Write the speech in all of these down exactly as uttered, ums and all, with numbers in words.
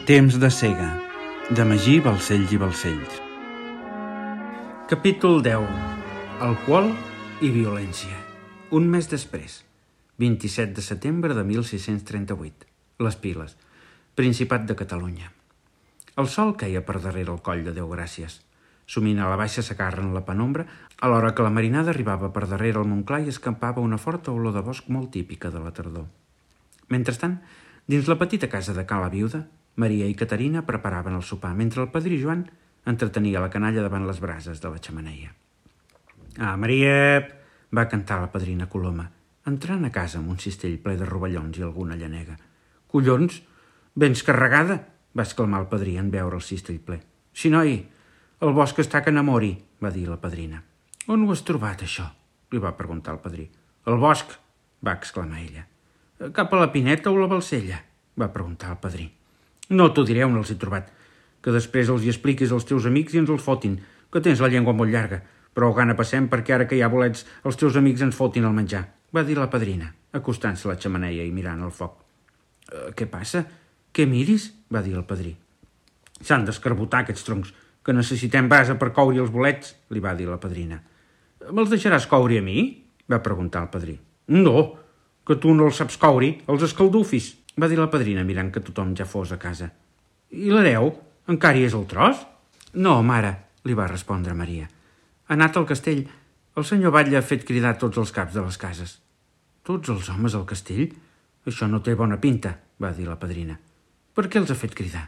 Temps de cega, de Magí Balcells i Balcells. Capítol deu. Alcohol i violència. Un mes després, vint-i-set de setembre de mil sis-cents trenta-vuit. Les Piles, Principat de Catalunya. El sol queia per darrere el coll de Déu Gràcies. Sumint a la baixa sacarra en la penombra, alhora que la marinada arribava per darrere el Montclar i escampava una forta olor de bosc molt típica de la tardor. Mentrestant, dins la petita casa de Ca la Viuda, Maria i Caterina preparaven el sopar, mentre el padrí Joan entretenia la canalla davant les brases de la xemeneia. «Ah, Maria!» va cantar la padrina Coloma, entrant a casa amb un cistell ple de rovellons i alguna llanega. «Collons! Vens carregada!» va exclamar el padrí en veure el cistell ple. «Sí, noi, el bosc està que n'amori», va dir la padrina. «On ho has trobat, això?», li va preguntar el padrí. «El bosc», va exclamar ella. «Cap a la Pineta o la Balcella?», va preguntar el padrí. «No t'ho diré on els he trobat, que després els hi expliquis als teus amics i ens els fotin, que tens la llengua molt llarga, però gana passem perquè ara que hi ha bolets els teus amics ens fotin el menjar», va dir la padrina, acostant-se a la xemeneia i mirant el foc. «Eh, què passa? Què miris?», va dir el padrí. «S'han d'escarbotar aquests troncs, que necessitem basa per coure els bolets», li va dir la padrina. «Me'ls deixaràs coure a mi?», va preguntar el padrí. «No, que tu no els saps coure, els escaldufis», va dir la padrina mirant que tothom ja fos a casa. «I l'hereu? Encara hi és el tros?» «No, mare», li va respondre Maria. «Ha anat al castell. El senyor Batlle ha fet cridar tots els caps de les cases». «Tots els homes al castell? Això no té bona pinta», va dir la padrina. «Per què els ha fet cridar?»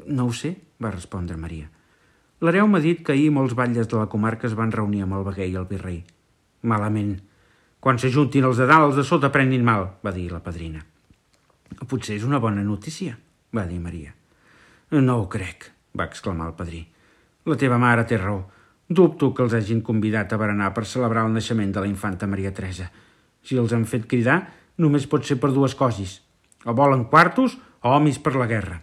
«No ho sé», va respondre Maria. «L'hereu m'ha dit que ahir molts batlles de la comarca es van reunir amb el veguer i el virrei». «Malament. Quan s'ajuntin els de dalt, els de sota prenguin mal», va dir la padrina. «Potser és una bona notícia», va dir Maria. «No ho crec», va exclamar el padrí. «La teva mare té raó. Dubto que els hagin convidat a berenar per celebrar el naixement de la infanta Maria Teresa. Si els han fet cridar, només pot ser per dues coses. O volen quartos o homes per la guerra».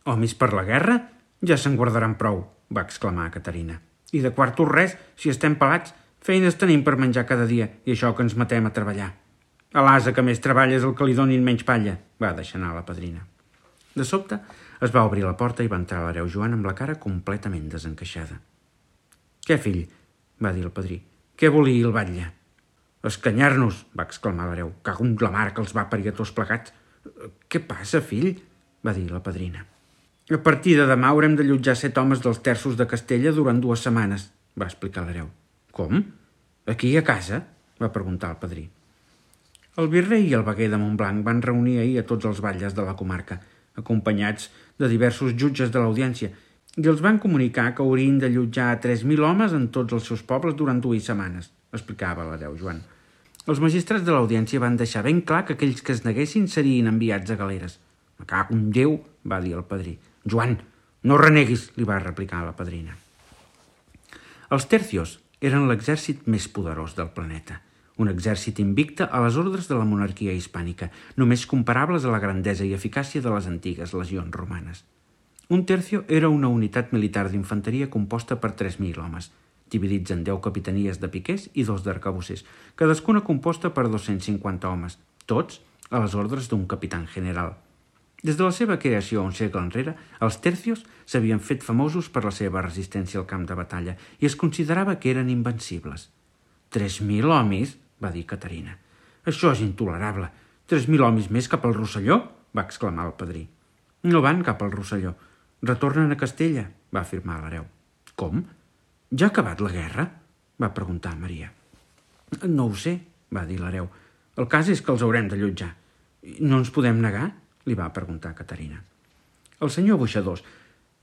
«Homes per la guerra? Ja se'n guardaran prou», va exclamar Caterina. «I de quartos res, si estem pelats, feines tenim per menjar cada dia i això que ens matem a treballar». «A l'ase que més treballa és el que li donin menys palla», va deixar anar la padrina. De sobte es va obrir la porta i va entrar l'hereu Joan amb la cara completament desencaixada. «Què, fill?», va dir el padrí. «Què volia el batlle?» «Escanyar-nos», va exclamar l'hereu. «Cago en la mare que els va parir a tots plegats». «Què passa, fill?», va dir la padrina. «A partir de demà haurem de allotjar set homes dels terços de Castella durant dues setmanes», va explicar l'hereu. «Com? Aquí a casa?», va preguntar el padrí. El virrei i el veguer de Montblanc van reunir ahir a tots els batlles de la comarca, acompanyats de diversos jutges de l'audiència, i els van comunicar que haurien d'allotjar a tres mil homes en tots els seus pobles durant dues setmanes, explicava l'hereu Joan. Els magistrats de l'audiència van deixar ben clar que aquells que es neguessin serien enviats a galeres. «Me cago en Déu», va dir el padrí. «Joan, no reneguis», li va replicar la padrina. Els tercios eren l'exèrcit més poderós del planeta. Un exèrcit invicte a les ordres de la monarquia hispànica, només comparables a la grandesa i eficàcia de les antigues legions romanes. Un tercio era una unitat militar d'infanteria composta per tres mil homes, dividits en deu capitanies de piquers i dos d'arcabussers, cadascuna composta per dos-cents cinquanta homes, tots a les ordres d'un capità general. Des de la seva creació un segle enrere, els tercios s'havien fet famosos per la seva resistència al camp de batalla i es considerava que eren invencibles. «Tres mil homes?» va dir Caterina. «Això és intolerable. Tres mil homes més cap al Rosselló?» va exclamar el padrí. «No van cap al Rosselló. Retornen a Castella», va afirmar l'hereu. «Com? Ja ha acabat la guerra?», va preguntar Maria. «No ho sé», va dir l'hereu. «El cas és que els haurem d'allotjar». «No ens podem negar?», li va preguntar Caterina. «El senyor Boixadors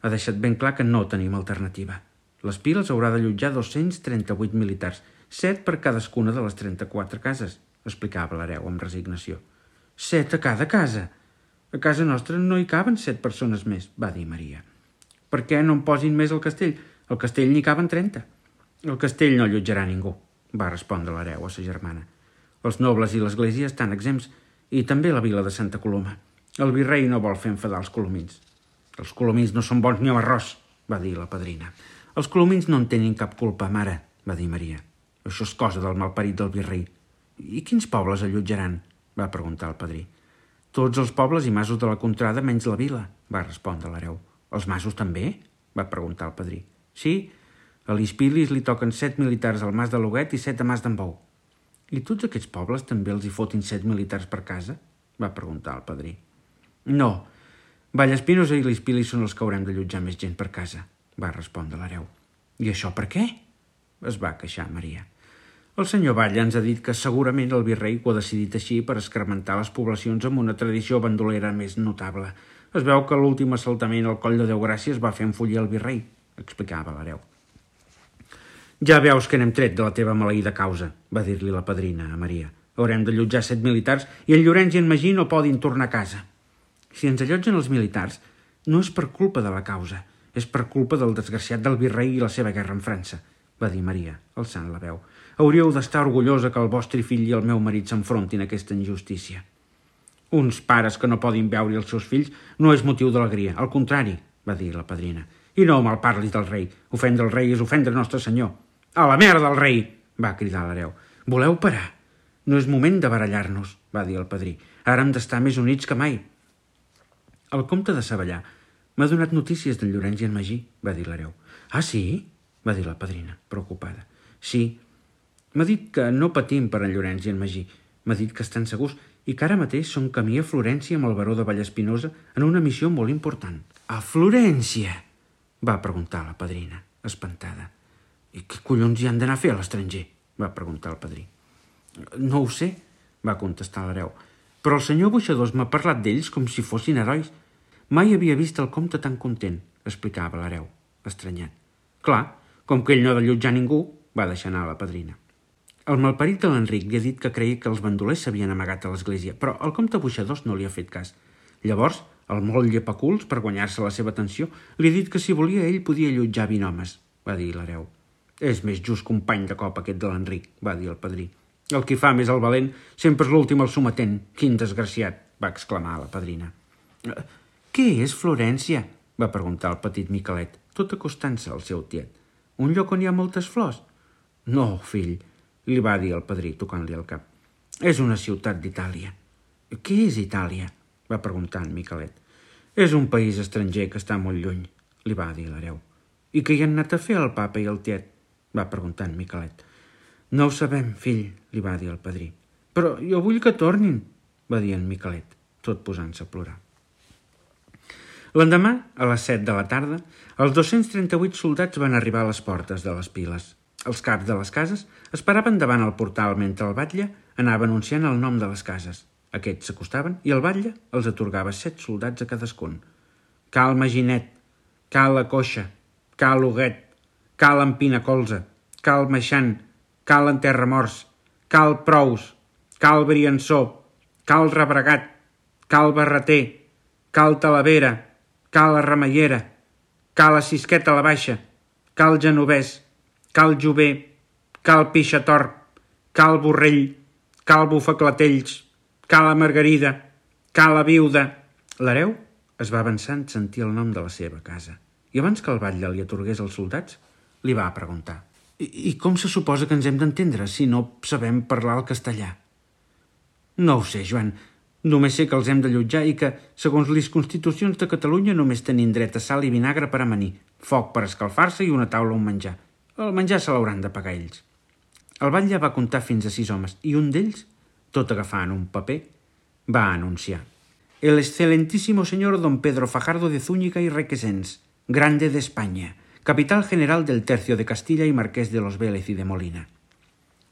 ha deixat ben clar que no tenim alternativa. Les Piles haurà d'allotjar dos-cents trenta-vuit militars, set per cadascuna de les trenta-quatre cases», explicava l'hereu amb resignació. «Set a cada casa? A casa nostra no hi caben set persones més», va dir Maria. «Per què no en posin més al castell? Al castell n'hi caben trenta». «El castell no allotjarà ningú», va respondre l'hereu a sa germana. «Els nobles i l'església estan exempts, i també la vila de Santa Coloma. El virrei no vol fer enfadar els colomins». «Els colomins no són bons ni amb arròs», va dir la padrina. «Els colomins no en tenen cap culpa, mare», va dir Maria. «Això és cosa del malparit del virrei». «I quins pobles allotjaran?», va preguntar el padrí. «Tots els pobles i masos de la contrada menys la vila», va respondre l'hereu. Els masos també? Va preguntar el padrí. Sí, a l'Ispilis li toquen set militars al mas de Loguet i set a mas d'en Bou. I tots aquests pobles també els hi fotin set militars per casa? Va preguntar el padrí. No, Vallespinosa i l'Ispilis són els que haurem d'allotjar més gent per casa, va respondre l'hereu. I això per què? Es va queixar Maria. El senyor Batlle ens ha dit que segurament el virrei ho ha decidit així per escarmentar les poblacions amb una tradició bandolera més notable. Es veu que l'últim assaltament al Coll de Déu-Gràcies va fer enfollir el virrei, explicava l'hereu. Ja veus que n'hem tret de la teva maleïda causa, va dir-li la padrina a Maria. Haurem d'allotjar set militars i en Llorenç i en Magí no podin tornar a casa. Si ens allotgen els militars, no és per culpa de la causa, és per culpa del desgraciat del virrei i la seva guerra amb França, va dir Maria, alçant la veu. Hauríeu d'estar orgullosa que el vostre fill i el meu marit s'enfrontin a aquesta injustícia. Uns pares que no poden veure els seus fills no és motiu d'alegria, al contrari, va dir la padrina. I no malparlis del rei. Ofendre el rei és ofendre Nostre Senyor. A la merda del rei, va cridar l'hereu. Voleu parar? No és moment de barallar-nos, va dir el padrí. Ara hem d'estar més units que mai. El comte de Savallà m'ha donat notícies d'en Llorenç i en Magí, va dir l'hereu. Ah, sí? Va dir la padrina, preocupada. Sí, m'ha dit que no patim per en Llorenç i en Magí. M'ha dit que estan segurs i que ara mateix són camí a Florència amb el baró de Vallespinosa en una missió molt important. A Florència? Va preguntar la padrina, espantada. I què collons hi han d'anar a fer a l'estranger? Va preguntar el padrí. No ho sé, va contestar l'hereu, però el senyor Boixadors m'ha parlat d'ells com si fossin herois. Mai havia vist el comte tan content, explicava l'hereu, estranyat. Clar, com que ell no ha d'allotjar ningú, va deixar anar la padrina. El malparit de l'Enric li ha dit que creia que els bandolers s'havien amagat a l'església, però el comte Boixadors no li ha fet cas. Llavors, el molt llepaculs, per guanyar-se la seva atenció, li ha dit que si volia ell podia allotjar vint homes, va dir l'hereu. És més just company de cop aquest de l'Enric, va dir el padrí. El qui fa més el valent sempre és l'últim al sometent. Quin desgraciat, va exclamar la padrina. Què és Florència? Va preguntar el petit Miquelet, tot acostant-se al seu tiet. Un lloc on hi ha moltes flors? No, fill, li va dir el padrí, tocant-li el cap. És una ciutat d'Itàlia. Què és Itàlia? Va preguntar en Miquelet. És un país estranger que està molt lluny, li va dir l'hereu. I què hi han anat a fer el papa i el tiet? Va preguntar en Miquelet. No ho sabem, fill, li va dir el padrí. Però jo vull que tornin, va dir en Miquelet, tot posant-se a plorar. L'endemà, a les set de la tarda, els dos-cents trenta-vuit soldats van arribar a les portes de les piles. Els caps de les cases esperaven davant el portal mentre el batlle anava anunciant el nom de les cases. Aquests s'acostaven i el batlle els atorgava set soldats a cadascun. Cal Maginet, cal la Coixa, cal Huguet, cal Empinacolza, cal Meixant, cal Enterramorts, cal Prous, cal Briançó, cal Rebregat, cal Barreter, cal Talavera, cal Arramallera, cal a Sisqueta la Baixa, cal Genovès, cal Jover, cal Pixatorp, cal Borrell, cal Bufaclatells, cal a Margarida, cal a Viuda. L'hereu es va avançant sentir el nom de la seva casa i abans que el batlle li atorgués els soldats, li va preguntar I, I com se suposa que ens hem d'entendre si no sabem parlar el castellà? No ho sé, Joan. Només sé que els hem d'allotjar i que, segons les constitucions de Catalunya, només tenim dret a sal i vinagre per amanir, foc per escalfar-se i una taula on menjar. El menjar se l'hauran de pagar ells. El batlle va comptar fins a sis homes i un d'ells, tot agafant un paper, va anunciar: El excelentísimo señor don Pedro Fajardo de Zúñiga y Requesens, grande de España, capital general del Tercio de Castilla y marquès de los Vélez i de Molina.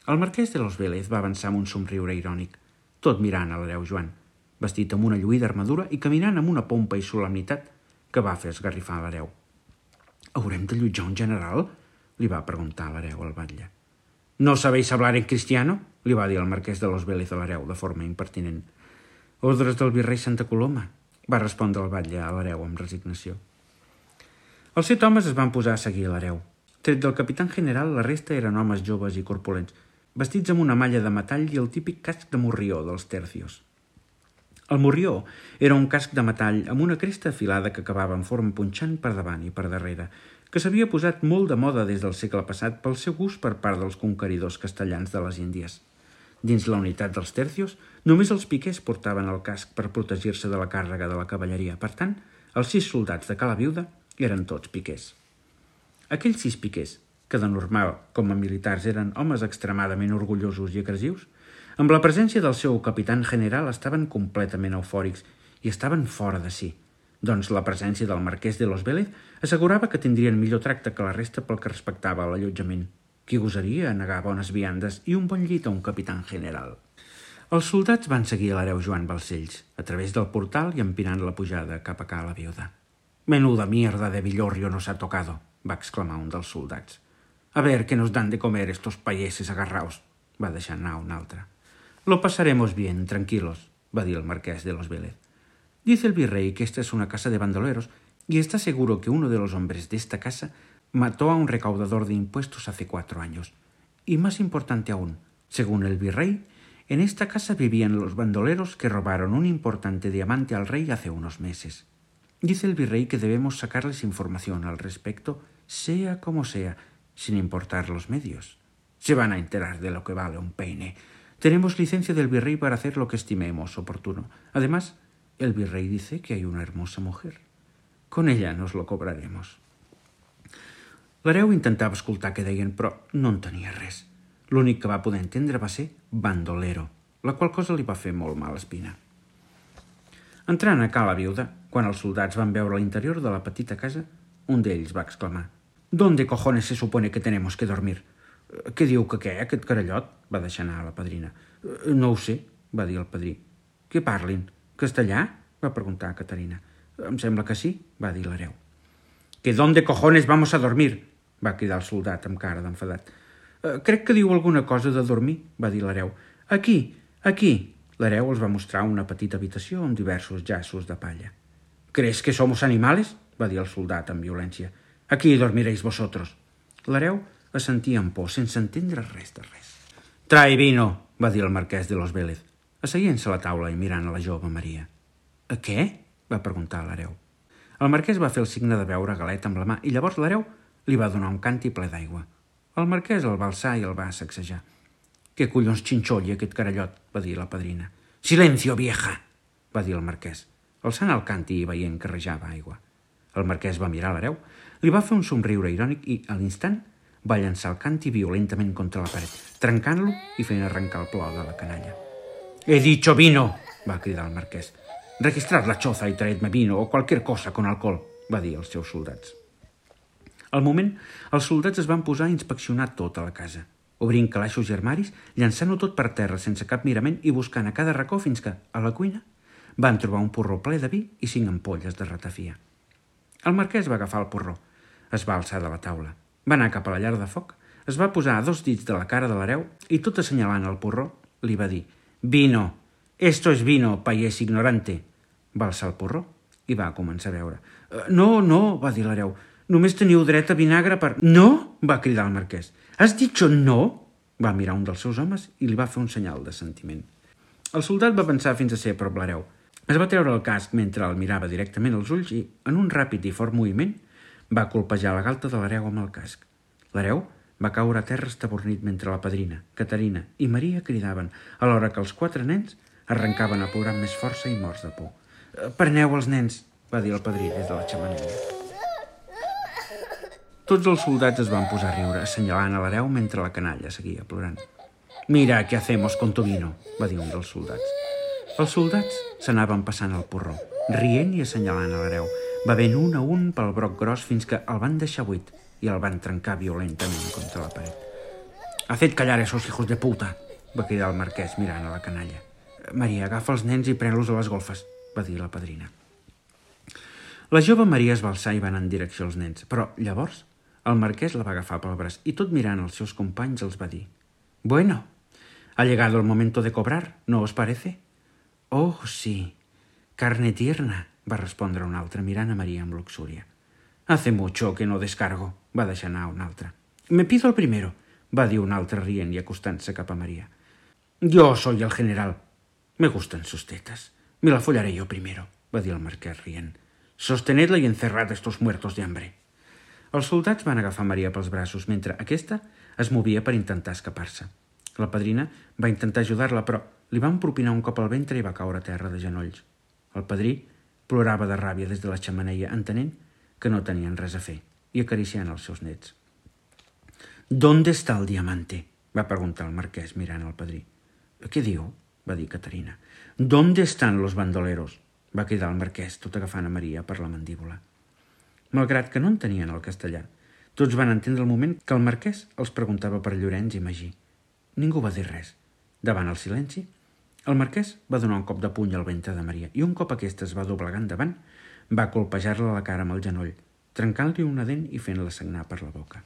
El marquès de los Vélez va avançar amb un somriure irònic, tot mirant a l'hereu Joan, vestit amb una lluïda armadura i caminant amb una pompa i solemnitat que va fer esgarrifar l'hereu. «Haurem d'allotjar un general?» li va preguntar l'hereu al batlle. «¿No sabéis hablar en cristiano?» li va dir el marquès de los Vélez a l'hereu de forma impertinent. «Ordres del virrei Santa Coloma», va respondre el batlle a l'hereu amb resignació. Els set homes es van posar a seguir l'hereu. Tret del capitán general, la resta eren homes joves i corpulents, vestits amb una malla de metall i el típic casc de morrió dels tercios. El morrió era un casc de metall amb una cresta afilada que acabava en forma punxant per davant i per darrere, que s'havia posat molt de moda des del segle passat pel seu gust per part dels conqueridors castellans de les Índies. Dins la unitat dels tercios, només els piquers portaven el casc per protegir-se de la càrrega de la cavalleria. Per tant, Els sis soldats de Cala Viuda eren tots piquers. Aquells sis piquers, que de normal, com a militars, eren homes extremadament orgullosos i agressius, amb la presència del seu capitán general estaven completament eufòrics i estaven fora de si. Doncs la presència del marquès de Los Vélez assegurava que tindrien millor tracte que la resta pel que respectava a l'allotjament. Qui gosaria a negar bones viandes i un bon llit a un capitán general? Els soldats van seguir l'hereu Joan Balcells, a través del portal i empinant la pujada cap a Cala Viuda. «Menuda mierda de villorrio nos ha tocado», va exclamar un dels soldats. «A ver qué nos dan de comer estos payeses agarraos», va deixar anar un altre. «Lo pasaremos bien, tranquilos», va dir el marquès de Los Vélez. «Dice el virrey que esta es una casa de bandoleros y está seguro que uno de los hombres de esta casa mató a un recaudador de impuestos hace cuatro años. Y más importante aún, según el virrey, en esta casa vivían los bandoleros que robaron un importante diamante al rey hace unos meses. Dice el virrey que debemos sacarles información al respecto, sea como sea, sin importar los medios. Se van a enterar de lo que vale un peine. Tenemos licencia del virrey para hacer lo que estimemos oportuno. Además, el virrey dice que hay una hermosa mujer. Con ella nos lo cobraremos». L'hereu intentava escoltar què deien, però no en tenia res. L'únic que va poder entendre va ser bandolero, la qual cosa li va fer molt mala espina. Entrant a Cala Viuda, quan els soldats van veure l'interior de la petita casa, un d'ells va exclamar: «¿Dónde cojones se supone que tenemos que dormir?» «Què diu que què, aquest carallot?» va deixar anar la padrina. «No ho sé», va dir el padrí. «Què parlin? Castellà?» va preguntar Caterina. «Em sembla que sí», va dir l'hereu. «Que ¿dónde cojones vamos a dormir?» va cridar el soldat amb cara d'enfadat. «Crec que diu alguna cosa de dormir», va dir l'hereu. «Aquí, aquí». L'hereu els va mostrar una petita habitació amb diversos llaços de palla. «¿Crees que somos animales?», va dir el soldat amb violència. «Aquí dormiréis vosotros». L'hereu assentia amb por, sense entendre res de res. «Trae vino», va dir el marquès de Los Vélez, asseient-se a la taula i mirant a la jove Maria. «A què?», va preguntar l'hereu. El marquès va fer el signe de beure galet amb la mà i llavors l'hereu li va donar un canti ple d'aigua. El marquès el va alçar i el va sacsejar. «Què collons xinxolli aquest carallot?», va dir la padrina. «Silencio, vieja!», va dir el marquès, alçant el canti i veient que rejava aigua. El marquès va mirar l'hereu, li va fer un somriure irònic i, a l'instant, va llançar el canti violentament contra la paret, trencant-lo i fent arrencar el plor de la canalla. «He dicho vino!», va cridar el marquès. «Registrad la choza y traedme vino o cualquier cosa con alcohol», va dir als seus soldats. Al moment, els soldats es van posar a inspeccionar tota la casa, obrint calaixos i armaris, llançant-ho tot per terra sense cap mirament i buscant a cada racó fins que, a la cuina, van trobar un porró ple de vi i cinc ampolles de ratafia. El marquès va agafar el porró, es va alçar de la taula, va anar cap a la llar de foc, es va posar a dos dits de la cara de l'hereu i, tot assenyalant el porró, li va dir: «Vino! Esto es vino, payés ignorante!» Va alçar el porró i va començar a beure. «No, no», va dir l'hereu, «només teniu dret a vinagre per...» «No!», va cridar el marquès. «Has dicho no?», va mirar un dels seus homes i li va fer un senyal de sentiment. El soldat va pensar fins a ser a prop l'hereu. Es va treure el casc mentre el mirava directament als ulls i, en un ràpid i fort moviment, va colpejar la galta de l'hereu amb el casc. L'hereu va caure a terra estabornit mentre la padrina, Caterina i Maria cridaven, alhora que els quatre nens arrencaven a plorar amb més força i morts de por. «Preneu els nens», va dir el padrí des de la xemeneia. Tots els soldats es van posar a riure, assenyalant a l'hereu mentre la canalla seguia plorant. «Mira, què hacemos con tu vino», va dir un dels soldats. Els soldats s'anaven passant el porró, rient i assenyalant a l'hereu, bevent un a un pel broc gros fins que el van deixar buit i el van trencar violentament contra la paret. «Haced callar esos hijos de puta», va cridar el marquès mirant a la canalla. «Maria, agafa els nens i pren-los a les golfes», va dir la padrina. La jove Maria es va alçar i va anar en direcció als nens, però llavors el marquès la va agafar pel braç i, tot mirant els seus companys, els va dir: «Bueno, ha llegado el momento de cobrar, ¿no os parece?» «Oh, sí, carne tierna», va respondre un altre mirant a Maria amb luxúria. «Hace mucho que no descargo», va deixar anar un altre. «Me pido el primero», va dir un altre rient i acostant-se cap a Maria. «Yo soy el general. Me gustan sus tetas. Me la follaré yo primero», va dir el marquès rient. «Sostenedla y encerrad estos muertos de hambre». Els soldats van agafar Maria pels braços mentre aquesta es movia per intentar escapar-se. La padrina va intentar ajudar-la, però li van propinar un cop al ventre i va caure a terra de genolls. El padrí plorava de ràbia des de la xemeneia, entenent que no tenien res a fer, i acariciant els seus nets. «¿Dónde está el diamante?», va preguntar el marquès mirant el padrí. «Què diu?», va dir Caterina. «¿Dónde están los bandoleros?», va cridar el marquès, tot agafant a Maria per la mandíbula. Malgrat que no entenien el castellà, tots van entendre el moment que el marquès els preguntava per Llorenç i Magí. Ningú va dir res. Davant el silenci, el marquès va donar un cop de puny al ventre de Maria i un cop aquesta es va doblegar endavant, va colpejar-la la cara amb el genoll, trencant-li una dent i fent-la sagnar per la boca.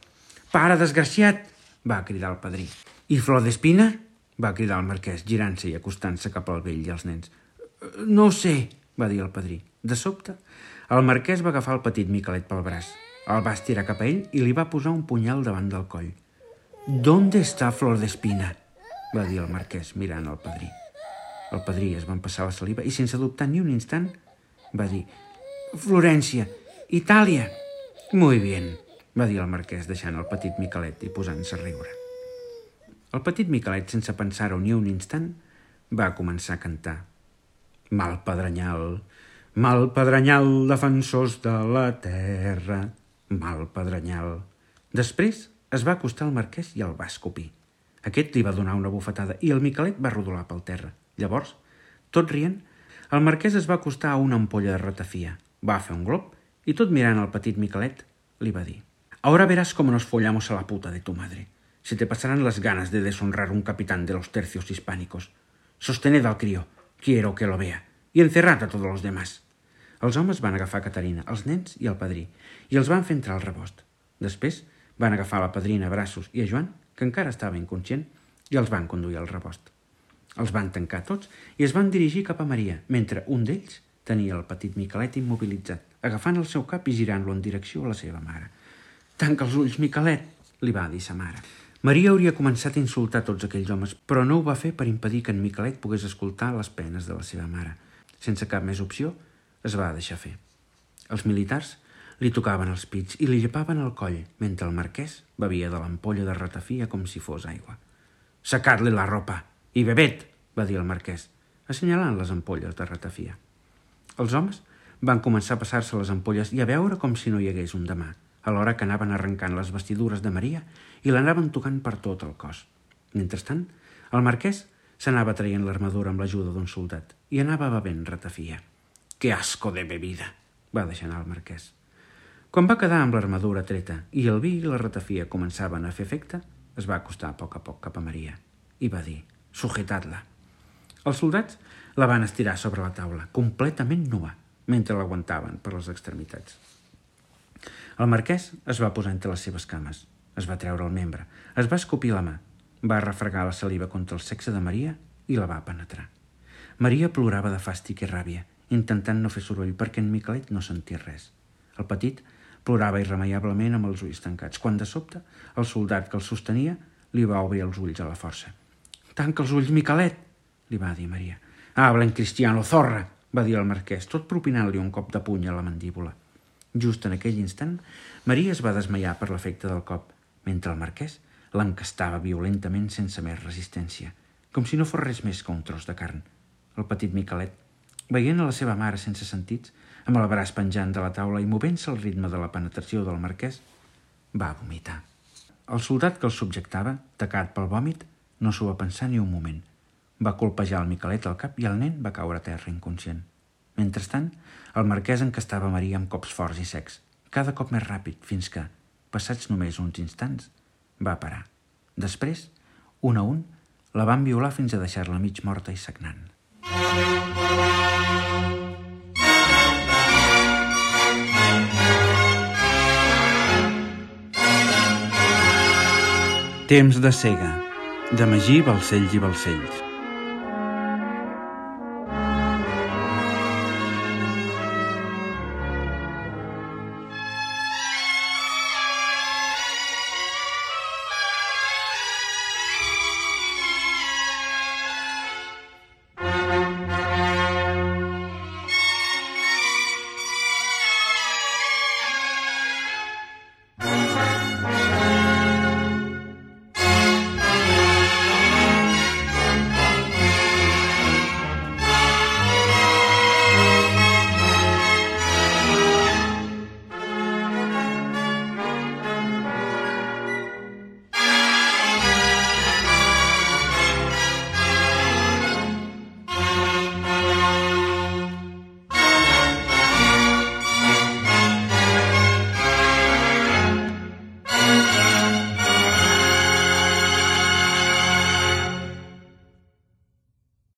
«Pare, desgraciat!», va cridar el padrí. «I Flor d'Espina?», va cridar el marquès, girant-se i acostant-se cap al vell i als nens. «No ho sé», va dir el padrí. De sobte, el marquès va agafar el petit Miquelet pel braç, el va estirar cap a ell i li va posar un punyal davant del coll. «¿Dónde está Flor d'Espina?», va dir el marquès mirant el padrí. El padrí es va empassar la saliva i, sense dubtar ni un instant, va dir «Florència, Itàlia». «Muy bien», va dir el marquès, deixant el petit Miquelet i posant-se a riure. El petit Miquelet, sense pensar-ho ni un instant, va començar a cantar. «Mal pedrenyal, mal pedrenyal, defensors de la terra, mal pedrenyal». Després es va acostar al marquès i el va escopir. Aquest li va donar una bufetada i el Miquelet va rodolar pel terra. Llavors, tot rient, el marquès es va acostar a una ampolla de ratafia, va fer un glop i, tot mirant el petit Miquelet, li va dir: «Ahora verás cómo nos follamos a la puta de tu madre. Se te pasarán las ganas de deshonrar un capitán de los tercios hispánicos. Sostened al crío, quiero que lo vea, y encerrad a todos los demás». Els homes van agafar Caterina, els nens i el padrí, i els van fer entrar al rebost. Després van agafar la padrina a braços i a Joan, que encara estava inconscient, i els van conduir al rebost. Els van tancar tots i es van dirigir cap a Maria, mentre un d'ells tenia el petit Miquelet immobilitzat, agafant el seu cap i girant-lo en direcció a la seva mare. «Tanca els ulls, Miquelet», li va dir sa mare. Maria hauria començat a insultar tots aquells homes, però no ho va fer per impedir que en Miquelet pogués escoltar les penes de la seva mare. Sense cap més opció, es va deixar fer. Els militars li tocaven els pits i li llepaven el coll, mentre el marquès bevia de l'ampolla de ratafia com si fos aigua. «Sacad-li la ropa i bebet», va dir el marquès, assenyalant les ampolles de ratafia. Els homes van començar a passar-se les ampolles i a veure com si no hi hagués un demà, alhora que anaven arrencant les vestidures de Maria i l'anaven tocant per tot el cos. Mentrestant, el marquès s'anava traient l'armadura amb l'ajuda d'un soldat i anava bevent ratafia. «Que asco de bebida», va deixar anar el marquès. Quan va quedar amb l'armadura treta i el vi i la ratafia començaven a fer efecte, es va acostar a poc a poc cap a Maria i va dir: «Sujetad-la». Els soldats la van estirar sobre la taula, completament nua, mentre l'aguantaven per les extremitats. El marquès es va posar entre les seves cames, es va treure el membre, es va escopir la mà, va refregar la saliva contra el sexe de Maria i la va penetrar. Maria plorava de fàstic i ràbia, intentant no fer soroll perquè en Miquelet no sentia res. El petit plorava irremeiablement amb els ulls tancats, quan de sobte el soldat que el sostenia li va obrir els ulls a la força. «Tanca els ulls, Miquelet», li va dir Maria. «Habla en cristiano, zorra», va dir el marquès, tot propinant-li un cop de puny a la mandíbula. Just en aquell instant, Maria es va desmaiar per l'efecte del cop, mentre el marquès l'encastava violentament sense més resistència, com si no fos res més que un tros de carn. El petit Miquelet, veient a la seva mare sense sentits, amb el braç penjant de la taula i movent-se al ritme de la penetració del marquès, va vomitar. El soldat que el subjectava, tacat pel vòmit, no s'ho va pensar ni un moment. Va colpejar el Miquelet al cap i el nen va caure a terra inconscient. Mentrestant, el marquès encastava Maria amb cops forts i secs, cada cop més ràpid, fins que, passats només uns instants, va parar. Després, un a un, la van violar fins a deixar-la mig morta i sagnant. Temps de cega, de Magí Balcells i Balcells.